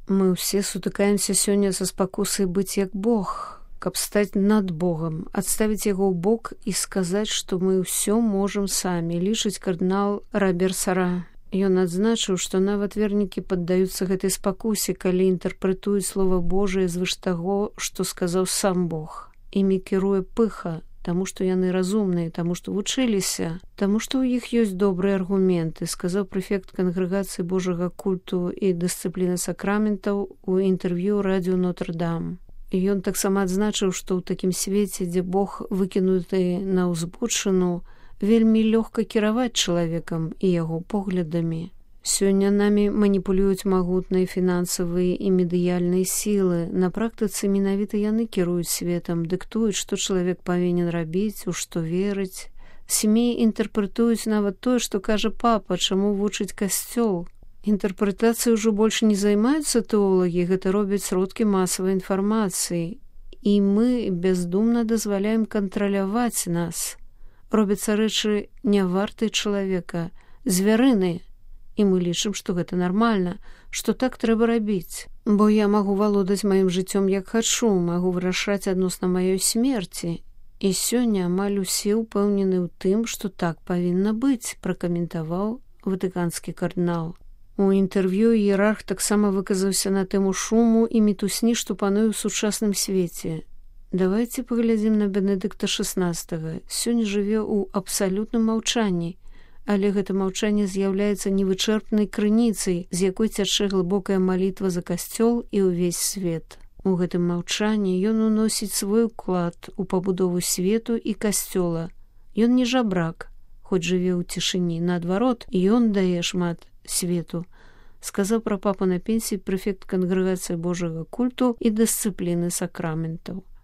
Мы ўсе сутыкаемся сёння са спакусай быць як Бог, каб стаць над Богам, адставіць яго ў бок і сказаць, што мы ўсё можам самі, лічыць кардынал Робер Сара. Ён адзначыў, што нават вернікі паддаюцца гэтай спакусе, калі інтэрпрэтуюць слова Божае звыш таго, што сказаў сам Бог. Імі кіруе пыха, таму што яны разумныя, таму што вучыліся, таму што ў іх ёсць добрыя аргументы, сказаў прэфект кангрэгацыі Божага культу і дысцыпліны сакраментаў у інтэрв'ю радыё Нотр-Дам. Ён таксама адзначыў, што ў такім свеце, дзе Бог выкінуты на ўзбочыну, вельмі лёгка кіраваць чалавекам і яго поглядамі. Сёння намі маніпулююць магутныя фінансавыя і медыяльныя сілы. На практыцы менавіта яны кіруюць светам, дыктуюць, што чалавек павінен рабіць, у што верыць. СМІ інтэрпрэтуюць нават тое, што кажа папа, чаму вучыць касцёл. Інтэрпрэтацыяй ужо больш не займаюцца тэолагі, гэта робяць сродкі масавай інфармацыі. І мы бездумна дазваляем кантраляваць нас. Робяцца рэчы не вартыя чалавека, звярыныя. І мы лічым, што гэта нармальна, што так трэба рабіць. Бо я магу валодаць маім жыццём як хачу, магу вырашаць адносна маёй смерці. І сёння амаль усе ўпэўнены ў тым, што так павінна быць, пракаментаваў ватыканскі кардынал. У інтэрв'ю іерарх таксама выказаўся на тэму шуму і мітусні, што пануе ў сучасным свеце. Давайце паглядзім на Бенедыкта XVI. Сёння жыве ў абсалютным маўчанні, але гэта маўчанне з'яўляецца невычэрпнай крыніцай, з якой цячэ глыбокая малітва за касцёл і ўвесь свет. У гэтым маўчанні ён уносіць свой уклад у пабудову свету і касцёла. Ён не жабрак, хоць жыве ў цішыні. Наадварот, ён дае шмат свету, сказаў пра папу на пенсіі прэфект кангрэгацыі Божага культу і дысцыпліны сакраментаў.